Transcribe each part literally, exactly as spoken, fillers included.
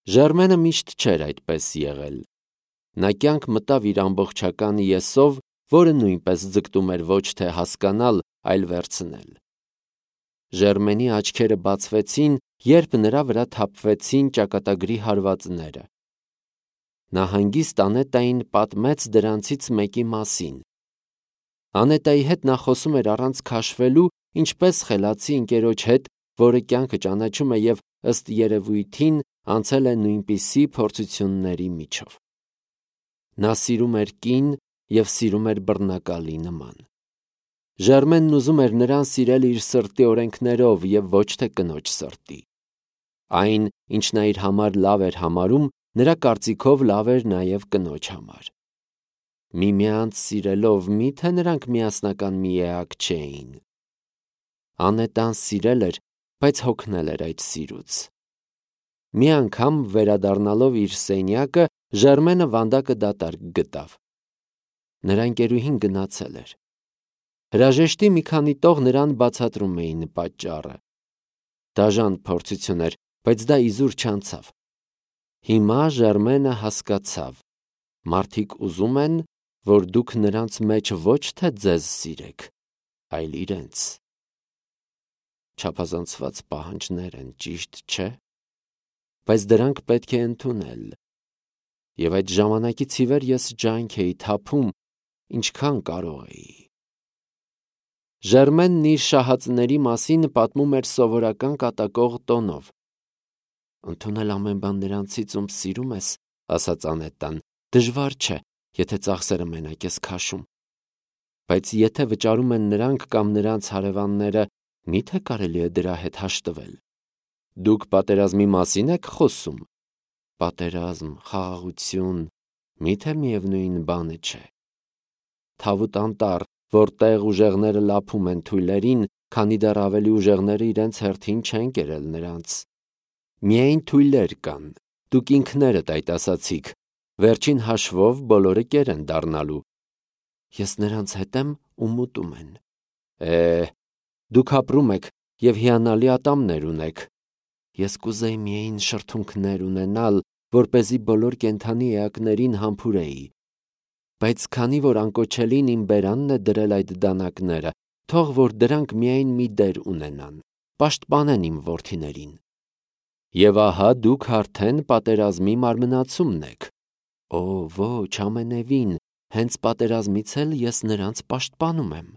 Ժերմենը միշտ չէր այդպես եղել։ Նա կյանք մտավ իր ամբողջական եսով, որը նույնպես ձգտում էր ոչ թե հասկանալ, այլ վերցնել։ Ժերմենի աչքերը բացվեցին, երբ նրա վրա թափվեցին ճակատագրի հարվածները։ Նա հանգիստ Անետային պատմեց դրանցից մեկի մասին։ Անետայի հետ նա խոսում էր առանց քաշվելու, ինչպես խելացի ընկերոջ հետ, որը կյանքը ճանաչում է և ըստ երևույթին անցել է նույնպիսի փորձությունների միջով։ Նա սիրում էր կին և սիրում էր բռնակալի նման։ Ժերմենն ուզում էր նրան սիրել իր սրտի օրենքներով և ոչ թե կնոջ սրտի։ Այն, ինչ նա իր համար լավ էր համարում, նրա կարծիքով լավ էր նաև կնոջ համար։ Միմյանց սիրելով մի՞թե նրանք միասնական մի էակ չէին։ Անետան սիրել էր, բայց հոգնել էր այդ սիրուց։ Մի անգամ, վերադառնալով իր սենյակը, Ժերմենը վանդակը դատարկ գտավ։ Նրա ընկերուհին գնացել էր։ Հրաժեշտի մի քանի տող նրան բացատրում էին պատճառը։ Դաժան փորձություն էր, բայց դա իզուր չանցավ։ Հիմա Ժերմենը հասկացավ. մարդիկ ուզում են, որ դուք նրանց մեջ ոչ թե ձեզ սիրեք, այլ իրենց։ Չափազանցված պահանջներ են, ճիշտ չէ՞։ Բայց դրանք պետք է ընդունել։ Եվ այդ ժամանակից ի վեր ես ջանք էի թափում, ինչքան կարող էի։ Ժերմենն իր շահածների մասին պատմում էր սովորական կատակող տոնով։ Ընդունել ամեն բան նրանցից, ում սիրում ես, ասաց Անետան, դժվար չէ, եթե ծախսերը մենակ ես քաշում։ Բայց եթե վճարում են նրանք կամ նրանց հարևանները, մի՞թե կարելի է դրա հետ հաշտվել։ Դուք պատերազմի մասի՞ն եք խոսում։ Պատերազմ, խաղաղություն, մի՞թե միևնույն բանը չէ։ Թավուտ անտառ, որտեղ ուժեղները լափում են թույլերին, քանի դեռ ավելի ուժեղները իրենց հերթին չեն կերել նրանց։ Միայն թույլեր կան, դուք ինքներդ այդ ասացիք, վերջին հաշվով բոլորը կեր են դառնալու։ Ես նրանց հետ եմ, ում ուտում են։ Է, դուք ապրում եք և հիանալի ատամներ ունեք։ Ես կուզեի միայն շրթունքներ ունենալ, որպեսզի բոլոր կենդանի էակներին համբուրեի։ Բայց քանի որ անկոչելին իմ բերանն է դրել այդ դանակները, թող որ դրանք միայն մի դեր ունենան, պաշտպանեն իմ որդիներին։ Եվ ահա դուք արդեն պատերազմի մարմնացումն եք։ Օ, ոչ, ամենևին, հենց պատերազմից էլ ես նրանց պաշտպանում եմ։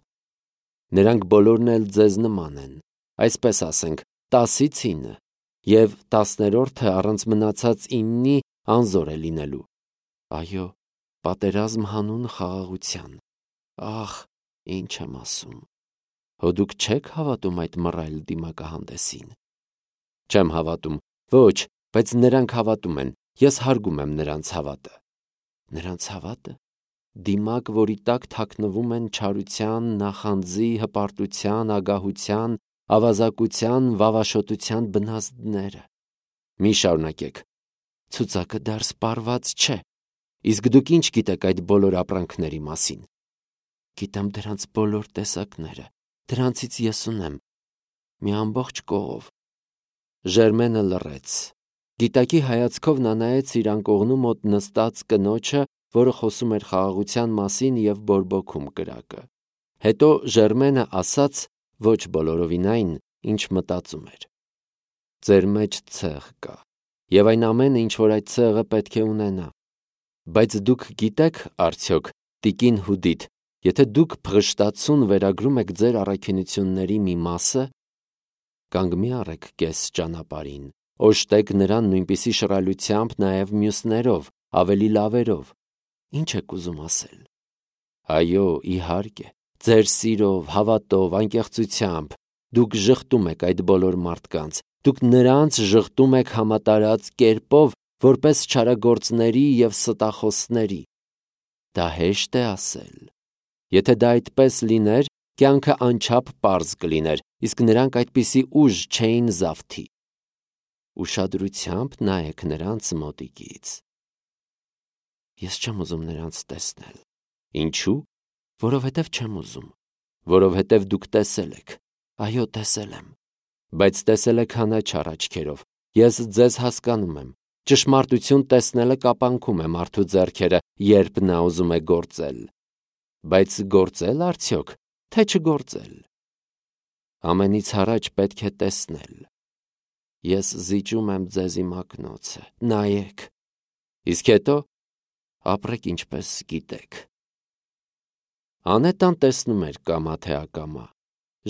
Նրանք բոլորն էլ ձեզ նման են, այսպես ասենք, տասից ինը, և տասներորդը առանց մնացած իննի անզոր է լինելու։ Այո, պատերազմ հանուն խաղաղության։ Ախ, ինչ եմ ասում։ Հո դուք չեք հավատում այդ մռայլ դիմակահանդեսին։ Չեմ հավատում, ոչ, բայց նրանք հավատում են, ես հարգում եմ նրանց հավատը։ Նրանց հավատը։ Դիմակ, որի տակ թաքնվում են չարության, նախանձի, հպարտության, ագահության, ավազակության, վավաշոտության բնազդները։ Մի շարունակեք։ Ցուցակը դեռ սպառված չէ։ Իսկ դուք ինչ գիտեք այդ բոլոր ապրանքների մասին։ Գիտեմ դրանց բոլոր տեսակները, դրանցից ես ունեմ մի ամբողջ կողով։ Ժերմենը լռեց։ Գիտակի հայացքով նա նայեց իր անկողնու մոտ նստած կնոջը, որը խոսում էր խաղաղության մասին և բորբոքում կրակը։ Հետո Ժերմենը ասաց ոչ բոլորովին այն, ինչ մտածում էր։ Ձեր մեջ ցեղ կա, և այն ամենը, ինչ որ այդ ցեղը պետք է ունենա։ Բայց դուք գիտեք, արդյոք, տիկին Հուդիտ, եթե դուք փղշտացուն վերագրում եք ձեր առաքինությունների մի մասը, կանգ մի առեք կես ճանապարհին, օժտեք նրան նույնպիսի շռայլությամբ նաև մյուսներով, ավելի լավերով։ Ինչ եք ուզում ասել։ Այո, իհարկե, ձեր սիրով, հավատով, անկեղծությամբ դուք ժխտում եք այդ բոլոր մարդկանց, դուք նրանց ժխտում եք համատարած կերպով, որպես չարագործների և ստախոսների։ Դա հեշտ է ասել։ Եթե դա այդպես լիներ, կյանքը անչափ պարզ կլիներ, իսկ նրանք այդպիսի ուժ չէին զավթի։ Ուշադրությամբ նայեք նրանց մոտիկից։ Ես չեմ ուզում նրանց տեսնել։ Ինչու՞։ Որովհետև չեմ ուզում։ Որովհետև դուք տեսել եք։ Այո, տեսել եմ։ Բայց տեսել եք հանաչառ աչքերով։ Ես ձեզ հասկանում եմ։ Ճշմարտություն տեսնելը կապանքում է մարդու ձեռքերը, երբ նա ուզում է գործել։ Բայց գործել արդյոք, թե չգործել։ Ամենից առաջ պետք է տեսնել։ Ես զիջում եմ ձեզ իմ ակնոցը, նայեք, իսկ հետո ապրեք ինչպես գիտեք։ Անետան տեսնում էր կամա թե ակամա։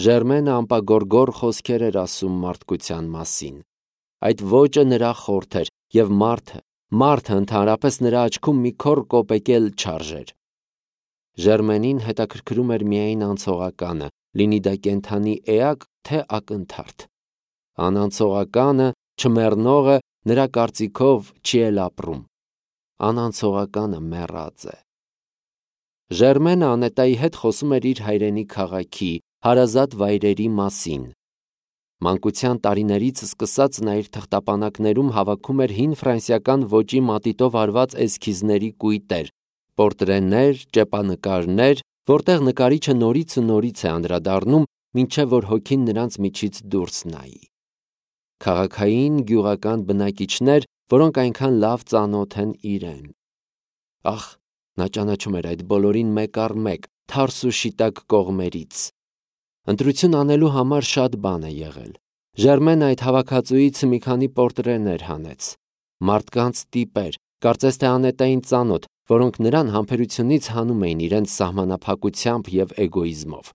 Ժերմենը անպագորգոր խոսքեր էր ասում մարդկության մասին։ Այդ ոճը նրա խորթ էր, և մարդը, մարդը ընդհանրապես նրա աչքում մի քոռ կոպեկել չարժեր։ Ժերմենին հետաքրքրում էր միայն անցողականը, լինի դա կենդանի էակ, թե ակնթարթ։ Անանցողականը, չմեռնողը, նրա կարծիքով չի էլ ապրում։ Անանցողականը մեռած է։ Ժերմենը Անետայի հետ խոսում էր իր հայրենի քաղաքի, հարազատ վայրերի մասին։ Մանկության տարիներից սկսած նա իր թղթապանակներում հավաքում էր հին ֆրանսիական ոճի մատիտով արված էսքիզների կույտեր, պորտրեներ, ճեպանկարներ, որտեղ նկարիչը նորից ու նորից է անդրադառնում, մինչև որ հոգին նրանց միջից դուրս նայի։ Քաղաքային գյուղական բնակիչներ, որոնք այնքան լավ ծանոթ են իրեն։ Ախ, նա ճանաչում էր այդ բոլորին մեկ առ մեկ, թարս ու շիտակ կողմերից։ Ընտրություն անելու համար շատ բան է եղել։ Ժերմենը այդ հավաքածուից մի քանի պորտրեներ հանեց։ Մարդկանց տիպեր, կարծես թե Անետային ծանոթ, որոնք նրան համբերությունից հանում էին իրենց սահմանափակությամբ և էգոիզմով։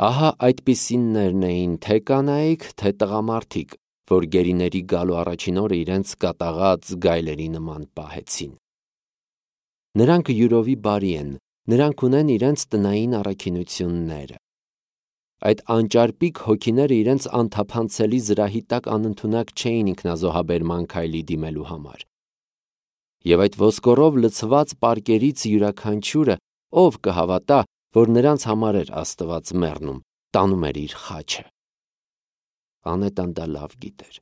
Ահա այդպիսիններն էին թե կանայք, թե տղամարդիկ, որ գերիների գալու առաջին օրը իրենց կատաղած գայլերի նման պահեցին։ Նրանք յուրովի բարի են, նրանք ունեն իրենց տնային առաքինությունները։ Այդ անճարպիկ հոգիները իրենց անթափանցելի զրահի տակ անընդունակ չէին ինքնազոհաբերման քայլի դիմելու համար։ Եվ այդ ոսկորով լցված պարկերից յուրաքանչյուրը, ով կհավատա, որ նրանց համար էր Աստված մեռնում, տանում էր իր խաչը։ Անետան դա լավ գիտեր։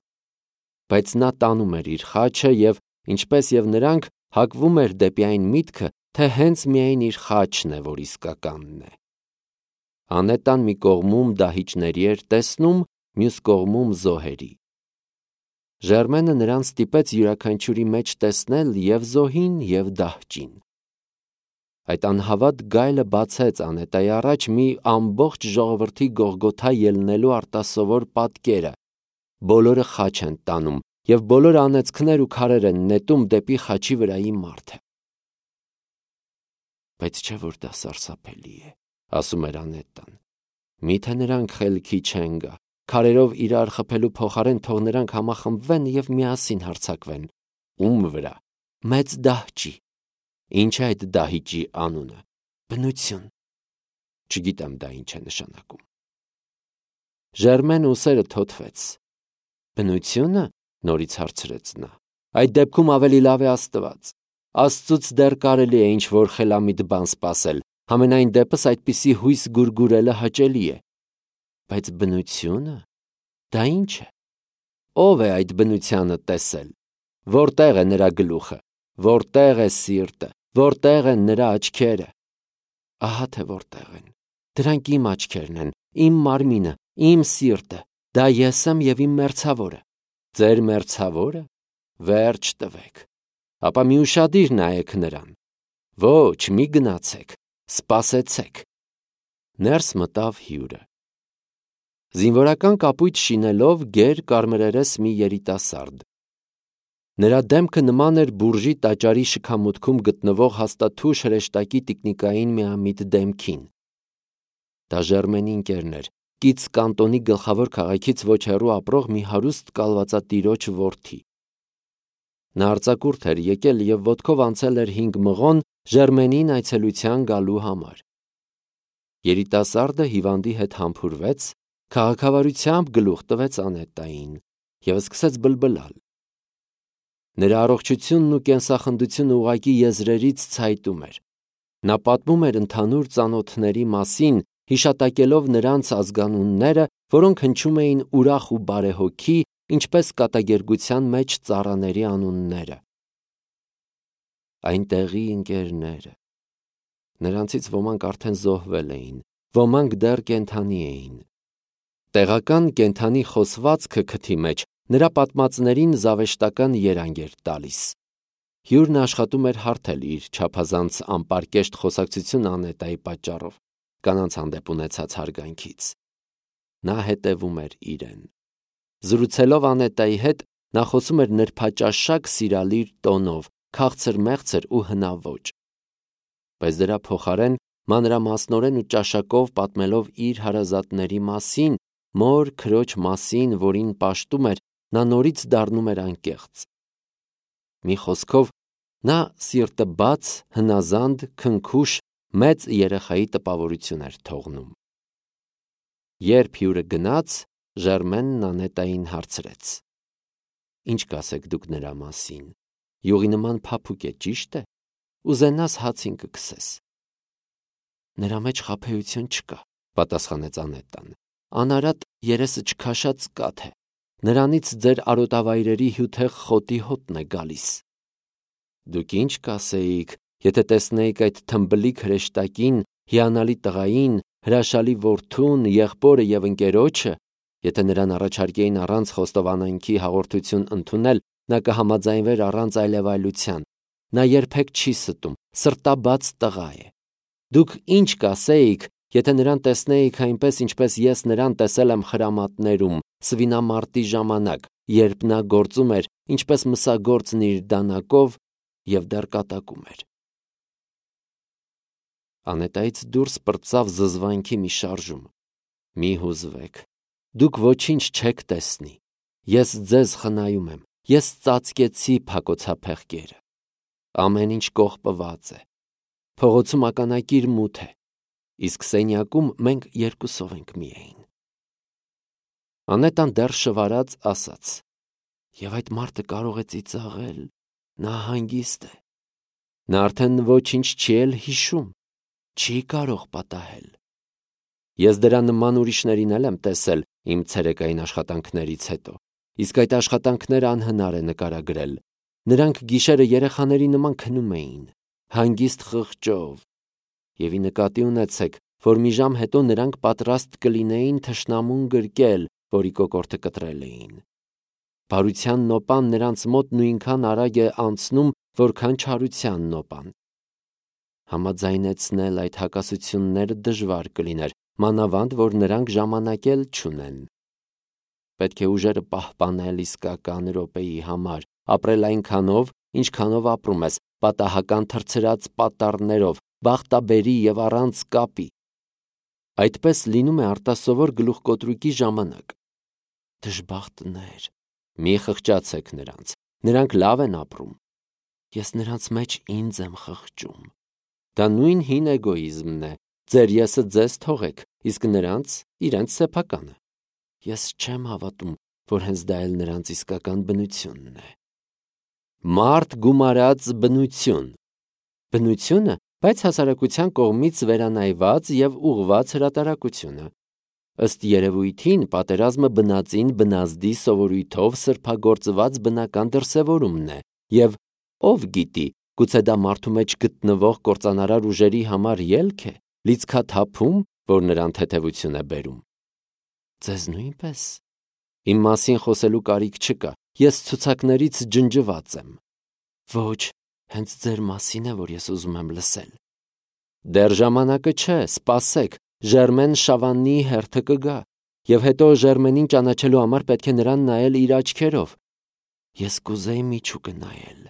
Բայց նա տանում էր իր խաչը և, ինչպես և նրանք, հակվում էր դեպի այն միտքը, թե հենց միայն իր խաչն է, որ իսկականն է։ Անետան մի կողմում դահիճների էր տեսնում, մյուս կողմում զոհերի։ Ժերմենը նրան ստիպեց յուրաքանչյուրի մեջ տեսնել և զոհին, և դահճին։ Այդ անհավատ գայլը բացեց Անետայի առաջ մի ամբողջ ժողովրդի Գողգոթա ելնելու արտասովոր պատկերը։ Բոլորը խաչ են տանում, և բոլոր անեծքներ ու քարեր են նետում դեպի խաչի վրայի մարդը։ Բայց չէ՞ որ դա սարսափելի է, ասում էր Անետան։ Միթե նրանք խելքի չեն գա, քարերով իրար խփելու փոխարեն թող նրանք համախմբվեն և միասին հարձակվեն։ Ում վրա։ Մեծ դահճի։ Ինչ է այդ դահիճի անունը։ Բնություն։ Չգիտեմ դա ինչ է նշանակում։ Ժերմենը ուսերը թոթվեց։ Բնությո՞ւնը, նորից հարցրեց նա։ Այդ դեպքում ավելի լավ է Աստված։ Աստծուց դեռ կարելի է ինչ-որ խելամիտ բան սպասել, համենայն դեպս այդպիսի հույս գուրգուրելը հաճելի է։ Բայց բնությո՞ւնը։ Դա ինչ է։ Ո՞վ է այդ բնությանը տեսել։ Որտե՞ղ է նրա գլուխը, որտե՞ղ է սիրտը, որտե՞ղ են նրա աչքերը։ Ահա թե որտեղ են։ Դրանք իմ աչքերն են, իմ մարմինը, իմ սիրտը։ Դա ես եմ և իմ մերձավորը։ Ձեր մերձավորը։ Վերջ տվեք։ Ապա մի ուշադիր նայեք նրան։ Ոչ, մի գնացեք, սպասեցեք։ Ներս մտավ հյուրը։ Զինվորական կապույտ շինելով գեր կարմրերես մի երիտասարդ։ Նրա դեմքը նման էր բուրժի տաճարի շքամուտքում գտնվող հաստաթուշ հրեշտակի տիկնիկային միամիտ դեմքին։ Դա Ժերմենի ընկերն էր, կից կանտոնի գլխավոր քաղաքից ոչ հեռու ապրող մի հարուստ կալվածատիրոջ որդի։ Նա արձակուրդ էր եկել և ոտքով անցել էր հինգ մղոն Ժերմենին այցելության գալու համար։ Երիտասարդը հիվանդի հետ համբուրվեց, քաղաքավարությամբ գլուխ տվեց Անետային և սկսեց բլբլալ։ Նրա առողջությունն ու կենսախնդությունը ուղղակի եզրերից ցայտում էր։ Նա պատմում էր ընդհանուր ծանոթների մասին, հիշատակելով նրանց ազգանունները, որոնք հնչում էին ուրախ ու բարեհոգի, ինչպես կատակերգության մեջ ծառաների անունները։ Այնտեղի ընկերները։ Նրանցից ոմանք արդեն զոհվել էին, ոմանք դեռ կենդանի էին։ Տեղական կենդանի խոսվածքը քթի մեջ նրա պատմածներին զավեշտական երանգ էր տալիս։ Հյուրն աշխատում էր հարթել իր չափազանց անպարկեշտ խոսակցություն Անետայի պատճառով, կանանց հանդեպ ունեցած հարգանքից։ Նա հետևում էր իրեն։ Զրուցելով Անետայի հետ, նա խոսում էր նրբաճաշակ սիրալիր տոնով, քաղցր-մեղցր ու հնաոճ։ Բայց դրա փոխարեն մանրամասնորեն ու ճաշակով պատմելով իր հարազատների մասին, մոր քրոջ մասին, որին պաշտում էր, նա նորից դառնում էր անկեղծ։ Մի խոսքով, նա սիրտը բաց, հնազանդ, քնքուշ, մեծ երեխայի տպավորություն էր թողնում։ Երբ հյուրը գնաց, Ժերմենն Անետային հարցրեց. «Ինչ կասեք դուք նրա մասին, յուղի նման փափուկ է, ճիշտ է, ուզենաս հացին կքսես»։ «Նրա մեջ խաբեություն չկա», պատասխանեց Անետան, «անարատ երեսը չքաշած կաթ է, նրանից ձեր արոտավայրերի հյութեղ խոտի հոտն է գալիս»։ «Դուք ինչ կասեիք, եթե տեսնեիք այդ թմբլիկ հրեշտակին, հիանալի տղային, հրաշալի որդուն, եղբորը և ընկերոջը, եթե նրան առաջարկեին առանց խոստովանանքի հաղորդություն ընդունել, նա կհամաձայնվեր առանց այլևայլության, նա երբեք չի ստում, սրտաբաց տղա է։ Դուք ինչ կասեիք, եթե նրան տեսնեիք այնպես, ինչպես ես նրան տեսել եմ խրամատներում, սվինամարտի ժամանակ, երբ նա գործում էր, ինչպես մսագործն իր դանակով և դեռ կատակում էր»։ Անետայից դուրս պրծավ զզվանքի մի շարժում։ «Մի հուզվեք, դուք ոչինչ չեք տեսնի, ես ձեզ խնայում եմ, ես ծածկեցի փակոցափեղկերը, ամեն ինչ կողպված է, փողոցում ականակիր մութ է, իսկ սենյակում մենք երկուսով ենք միայն»։ Անետան դեռ շվարած ասաց. «Եվ այդ մարդը կարող է ծիծաղել, նա հանգիստ է, նա արդեն ոչինչ չի էլ հիշում, չի կարող պատահել։ Ես դրա նման ուրիշներին էլ եմ տեսել իմ ցերեկային աշխատանքներից հետո, իսկ այդ աշխատանքները անհնար է նկարագրել։ Նրանք գիշերը երեխաների նման քնում էին, հանգիստ խղճով, և ի նկատի ունեցեք, որ մի ժամ հետո նրանք պատրաստ կլինեին թշնամուն գրկել, որի կոկորդը կտրել էին։ Բարության նոպան նրանց մոտ նույնքան արագ է անցնում, որքան չարության նոպան։ Համաձայնեցնել այդ հակասությունները դժվար կլիներ, մանավանդ որ նրանք ժամանակ էլ չունեն։ Պետք է ուժերը պահպանել իսկական րոպեի համար, ապրել այնքանով, ինչքանով ապրում ես, պատահական թռցրած պատառներով, բախտաբերի և առանց կապի։ Այդպես լինում է արտասովոր գլուխկոտրուկի ժամանակ։ Դժբախտներ, մի խղճացեք նրանց, նրանք լավ են ապրում։ Ես նրանց մեջ ինձ եմ խղճում։ Դա նույն հին էգոիզմն է, ձեր եսը ձեզ թողեք, իսկ նրանց իրենց սեփականը։ Ես չեմ հավատում, որ հենց դա էլ նրանց իսկական բնությունն է։ Մարդ գումարած բնություն։ Բնությունը, բայց հասարակության կողմից վերանայված և ուղղված հրատարակությունը։ Ըստ երևույթին պատերազմը բնածին բնազդի սովորույթով սրբագործված բնական դրսևորումն է, և ով գիտի, գուցե դա մարդու մեջ գտնվող կործանարար ուժերի համար ելք է, լիցքաթափում, որ նրան թեթևություն է բերում։ Ձեզ նույնպես։ Իմ մասին խոսելու կարիք չկա, ես ցուցակներից ջնջված եմ։ Ոչ, հենց ձեր մասին է, որ ես ուզում եմ լսել։ Դեռ ժամանակը չէ, սպասեք, Ժերմեն Շավաննի հերթը կգա, և հետո Ժերմենին ճանաչելու համար պետք է նրան նայել իր աչքերով։ Ես կուզեի միջուկը նայել։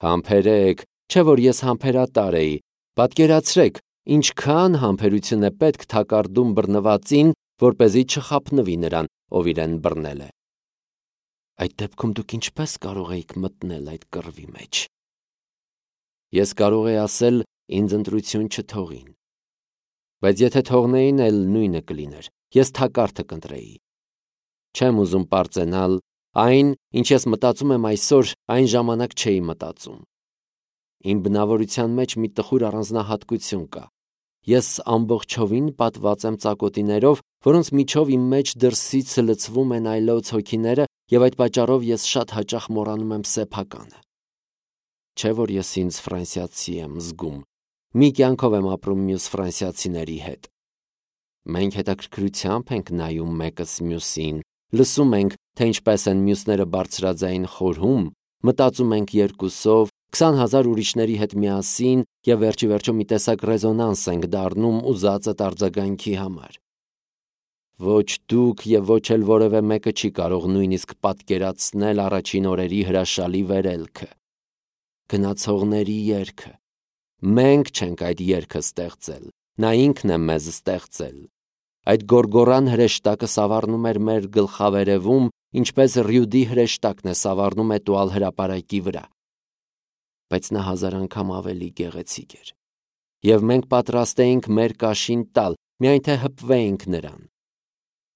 Համբերեք, չէ որ ես համբերատար էի, պատկերացրեք, ինչքան համբերություն է պետք թակարդում բռնվածին, որպեսզի չխաբնվի նրան, ով իրեն բռնել է։ Այդ դեպքում դուք ինչպես կարող էիք մտնել այդ կռվի մեջ։ Ես կարող էի ասել, ինձ ընտրություն չթողին։ Բայց եթե թողնեին, էլ նույնը կլիներ, ես թակարդը կընտրեի։ Չեմ ուզում պարծենալ, այն, ինչ ես մտածում եմ այսօր, այն ժամանակ չէի մտածում։ Իմ բնավորության մեջ մի տխուր առանձնահատկություն կա։ Ես ամբողջովին պատված եմ ծակոտիներով, որոնց միջով իմ մեջ դրսից լցվում են այլոց հոգիները, և այդ պատճառով ես շատ հաճախ մոռանում եմ սեփականը։ Չէ որ ես ինձ ֆրանսիացի եմ զգում, մի կյանքով եմ ապրում մյուս ֆրանսիացիների հետ։ Մենք հետաքրքրությամբ ենք նայում մեկս մյուսին, լսում ենք, թե ինչպես են մյուսները բարձրաձայն խորհում, մտածում ենք երկուսով, քսան հազար ուրիշների հետ միասին և վերջի վերջո մի տեսակ ռեզոնանս ենք դառնում ուզածդ արձագանքի համար։ Ոչ դուք և ոչ էլ որևէ մեկը չի կարող նույնիսկ պատկերացնել առաջին օրերի հրաշալի վերելքը։ Գնացողների երգը։ Մենք չենք այդ երգը ստեղծել, նա ինքն է մեզ ստեղծել։ Այդ գոռգոռան հրեշտակը սավառնում էր մեր գլխավերևում, ինչպես ռյուդի հրեշտակն է սավառնում էտուալ հրապարակի վրա։ Բայց նա հազար անգամ ավելի գեղեցիկ էր։ Եվ մենք պատրաստ էինք մեր կաշին տալ, միայն թե հպվեինք նրան։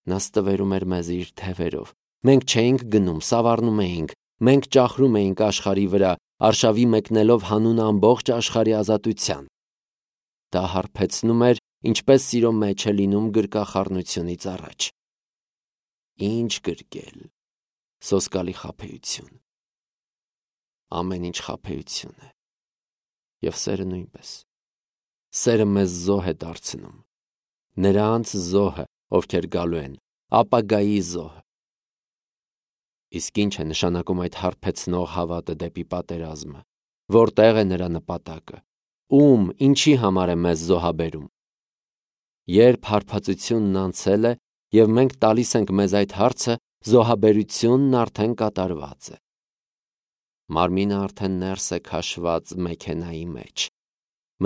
Նա ստվերում էր մեզ իր թևերով։ Մենք չէինք գնում, սավառնում էինք, մենք ճախրում էինք աշխարհի վրա, արշավի մեկնելով հանուն ամբողջ աշխարհի ազատության։ Դա հարբեցնում էր, ինչպես սիրո մեջ է լինում գրկախառնությունից առաջ։ Ինչ գրկել, սոսկալի խաբեություն։ Ամեն ինչ խաբեություն է։ Եվ սերը նույնպես։ Սերը մեզ զոհ է դարձնում։ Նրանց զոհը, ովքեր գալու են, ապագայի զոհը։ Իսկ ինչ է նշանակում այդ հարբեցնող հավատը դեպի պատերազմը։ Որտեղ է նրա նպատակը։ Ում, ինչի համար է մեզ զոհաբերում։ Երբ հարբածությունն անցել է, և մենք տալիս ենք մեզ այդ հարցը, զոհաբերությունն արդեն կատարված է։ Մարմինը արդեն ներս է քաշված մեքենայի մեջ։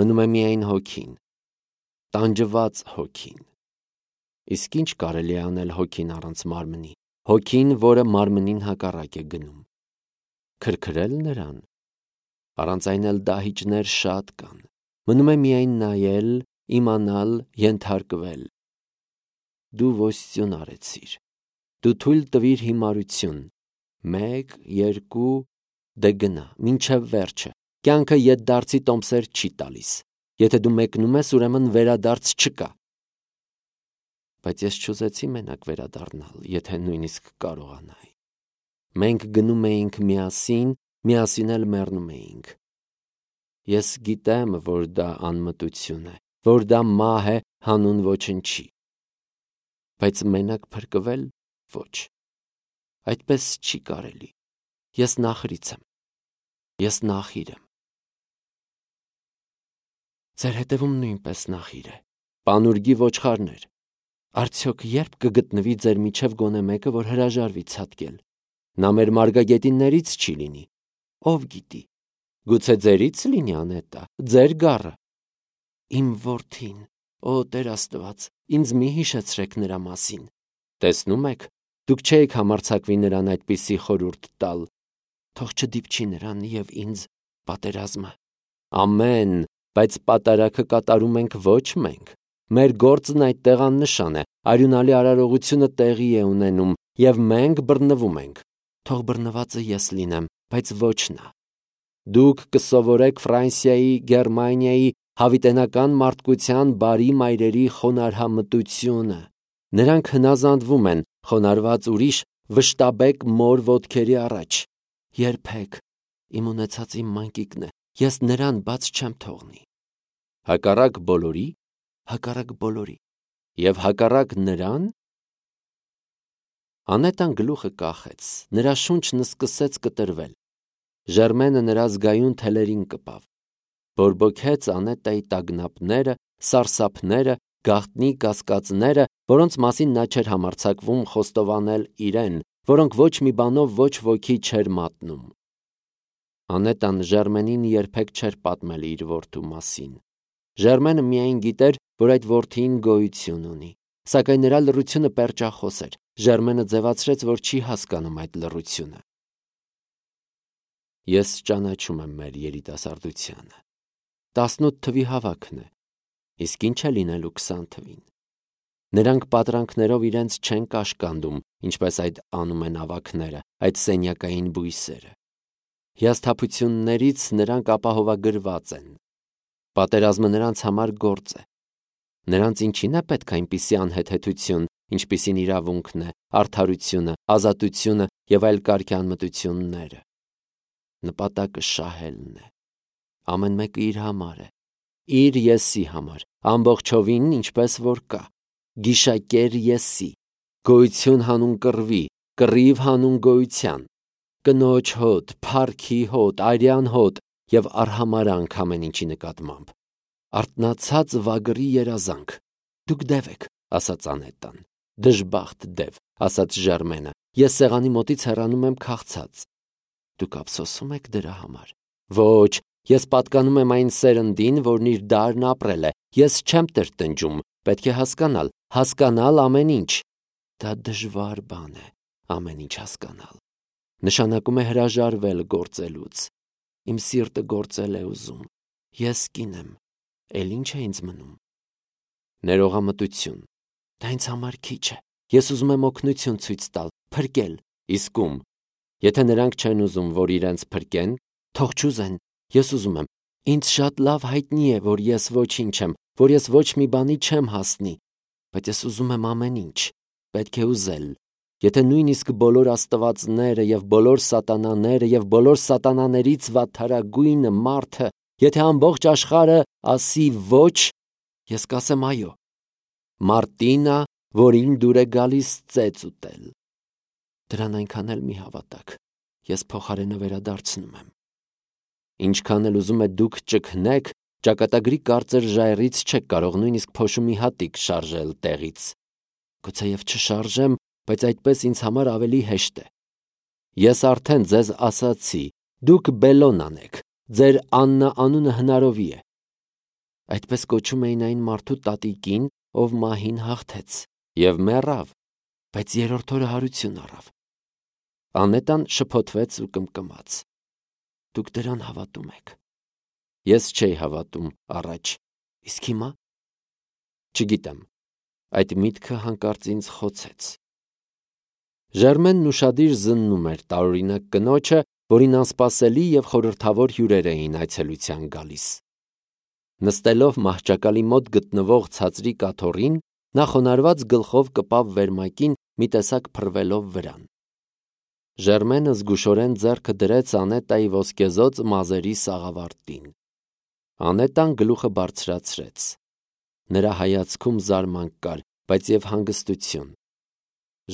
Մնում է միայն հոգին, տանջված հոգին։ Իսկ ինչ կարելի է անել հոգին առանց մարմնի, հոգին, որը մարմնին հակառակ է գնում։ Քրքրել նրան։ Առանց այն էլ դահիճներ շատ կան։ Մնում է միայն նայել, իմանալ, ենթարկվել։ Դու ոստյուն արեցիր։ Դու թույլ տվիր հիմարություն։ Մեկ, երկու, դե գնա, մինչև վերջը։ Կյանքը ետդարձի տոմսեր չի տալիս։ Եթե դու մեկնում ես, ուրեմն վերադարձ չկա։ Բայց ես չուզեցի մենակ վերադառնալ, եթե նույնիսկ կարողանայի։ Մենք գնում էինք միասին, միասին էլ մեռնում էինք։ Ես գիտեմ, որ դա անմտություն է, որ դա մահ է հանուն ոչնչի։ Բայց մենակ փրկվել՝ ոչ։ Այդպես չի կարելի։ Ես նախրից եմ։ Ես նախիր եմ։ Ձեր հետևում նույնպես նախիր է։ Պանուրգի ոչխարներ։ Արդյոք երբ կգտնվի ձեր միջև գոնե մեկը, որ հրաժարվի ցատկել։ Նա մեր մարգագետիններից չի լինի։ Ով գիտի։ Գուցե ձերից լինի Անետա, ձեր գառը։ Իմ որդին, օ Տեր Աստված, ինձ մի հիշեցրեք նրա մասին։ Տեսնում եք, դուք չէիք համարձակվի նրան այդպիսի խորհուրդ տալ։ Թող չդիպչի նրան և ինձ պատերազմը։ Ամեն, բայց պատարագը կատարում ենք ոչ մենք։ Մեր գործն այդտեղ աննշան է, արյունալի արարողությունը տեղի է ունենում, և մենք բռնվում ենք։ Թող բռնվածը ես լինեմ, բայց ոչ նա։ Դուք կսովորեք Ֆրանսիայի, Գերմանիայի, հավիտենական մարդկության բարի մայրերի խոնարհամտությունը։ Նրանք հնազանդվում են, խոնարհված ուրիշ, վշտաբեկ մոր ոտքերի առաջ։ Երբեք, իմ ունեցած իմ մանկիկն է, ես նրան բաց չեմ թողնի։ Հակառակ բոլորի, հակառակ բոլորի, և հակառակ նրան։ Անետան գլուխը կախեց, նրա շունչն սկսեց կտրվել։ Ժերմենը նրա զգայուն թելերին կպավ։ Բորբոքեց Անետայի տագնապները, սարսափները, գաղտնի կասկածները, որոնց մասին նա չէր համարձակվում խոստովանել իրեն, որոնք ոչ մի բանով ոչ ոքի չէր մատնում։ Անետան Ժերմենին երբեք չէր պատմել իր որդու մասին։ Ժերմենը միայն գիտեր, որ այդ որդին գոյություն ունի, սակայն նրա լռությունը պերճախոս էր։ Ժերմենը ձևացրեց, որ չի հասկանում այդ լռությունը։ Ես ճանաչում եմ մեր երիտասարդությանը։ Տասնութ թվի հավաքն է, իսկ ինչ է լինելու քսան թվին։ Նրանք պատրանքներով իրենց չեն կաշկանդում, ինչպես այդ անում են ավագները, այդ սենյակային բույսերը։ Հիասթափություններից նրանք ապահովագրված են։ Պատերազմը նրանց համար գործ է։ Նրանց ինչին է պետք այնպիսի անհեթեթություն, ինչպիսին իրավունքն է, արդարությունը, ազատությունը և այլ կարգի անմտությունները։ Նպատակը շահելն է։ Ամեն մեկը իր համար է, իր եսի համար, ամբողջովին ինչպես որ կա, գիշակեր եսի, գոյություն հանուն կռվի, կռիվ հանուն գոյության, կնոջ հոտ, փառքի հոտ, արյան հոտ եւ արհամարանք ամեն ինչի նկատմամբ։ Արթնացած վագրի երազանք։ Դուք դև եք, ասաց Անետան։ Դժբախտ դև, ասաց Ժարմենը, ես սեղանի մոտից հեռանում եմ քաղցած։ Դուք ափսոսում եք դրա համար։ Ոչ, ես պատկանում եմ այն սերնդին, որն իր դարն ապրել է։ Ես չեմ տրտնջում, պետք է հասկանալ, հասկանալ ամեն ինչ։ Դա դժվար բան է, ամեն ինչ հասկանալ։ Նշանակում է հրաժարվել գործելուց։ Իմ սիրտը գործել է ուզում։ Ես կին եմ, էլ ինչ է ինձ մնում։ Ներողամտություն։ Դա ինձ համար քիչ է։ Ես ուզում եմ օգնություն ցույց տալ, փրկել, իսկ ում։ Եթե նրանք չեն ուզում, որ իրենց փրկեն, թող չուզեն։ Ես ուզում եմ։ Ինձ շատ լավ հայտնի է, որ ես ոչինչ եմ, որ ես ոչ մի բանի չեմ հասնի, բայց ես ուզում եմ ամեն ինչ։ Պետք է ուզել։ Եթե նույնիսկ բոլոր աստվածները եւ բոլոր սատանաները եւ բոլոր սատանաներից վատթարագույնը մարդը, եթե ամբողջ աշխարհը ասի ոչ, ես կասեմ այո։ Մարտինա, որին դուր է գալիս ծեծ ուտել։ Դրան այնքան էլ մի հավատաք։ Ես փոխարենը վերադարձնում եմ։ Ինչքան էլ ուզում եք դուք ճգնեք, ճակատագրի կարծր ժայռից չեք կարող նույնիսկ փոշու մի հատիկ շարժել տեղից։ Գուցեև չշարժեմ, բայց այդպես ինձ համար ավելի հեշտ է։ Ես արդեն ձեզ ասացի, դուք Բելոնան եք, ձեր Աննա անունը հնարովի է։ Այդպես կոչում էին այն մարդու տատիկին, ով մահին հաղթեց եւ մեռավ, բայց երրորդ օրը հարություն առավ։ Անետան շփոթվեց ու կմկմաց։ Դուք դրան հավատում եք։ Ես չէի հավատում առաջ, իսկ հիմա չգիտեմ։ Այդ միտքը հանկարծ ինձ խոցեց։ Ժերմենն ուշադիր զննում էր տարօրինակ կնոջը, որին անսպասելի եւ խորհրդավոր հյուրեր էին այցելության գալիս։ Նստելով մահճակալի մոտ գտնվող ցածրի կաթոռին, նա խոնարհված գլխով կպավ վերմակին մի տեսակ փռվելով վրան։ Ժերմենը զգուշորեն ձեռքը դրեց Անետայի ոսկեզօծ մազերի սաղավարտին։ Անետան գլուխը բարձրացրեց։ Նրա հայացքում զարմանք կար, բայց եւ հանգստություն։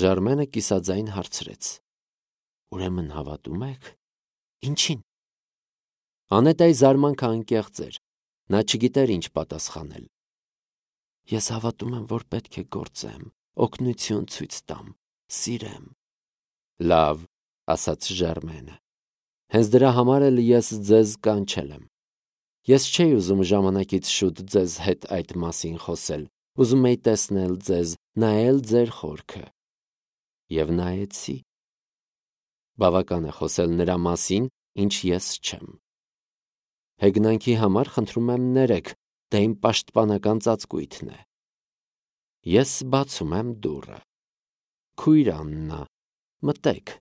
Ժարմենը կիսաձայն հարցրեց. Ուրեմն հավատում եք։ Ինչին։ Անետայի զարմանքը անկեղծ էր։ Նա չգիտեր ինչ պատասխանել։ Ես հավատում եմ, որ պետք է գործեմ, օգնություն ցույց տամ, սիրեմ։ Լավ, ասաց Ժարմենը։ Հենց դրա համար էլ ես ձեզ կանչել եմ։ Ես չէի ուզում ժամանակից շուտ ձեզ հետ այդ մասին խոսել, ուզում էի տեսնել ձեզ, նայել ձեր խորքը։ Եվ նայեցի։ Բավական է խոսել նրա մասին, ինչ ես չեմ։ Հեգնանքի համար խնդրում եմ ներեք, դա իմ պաշտպանական ծածկույթն է։ Ես բացում եմ դուռը։ Քույր Աննա, մտեք։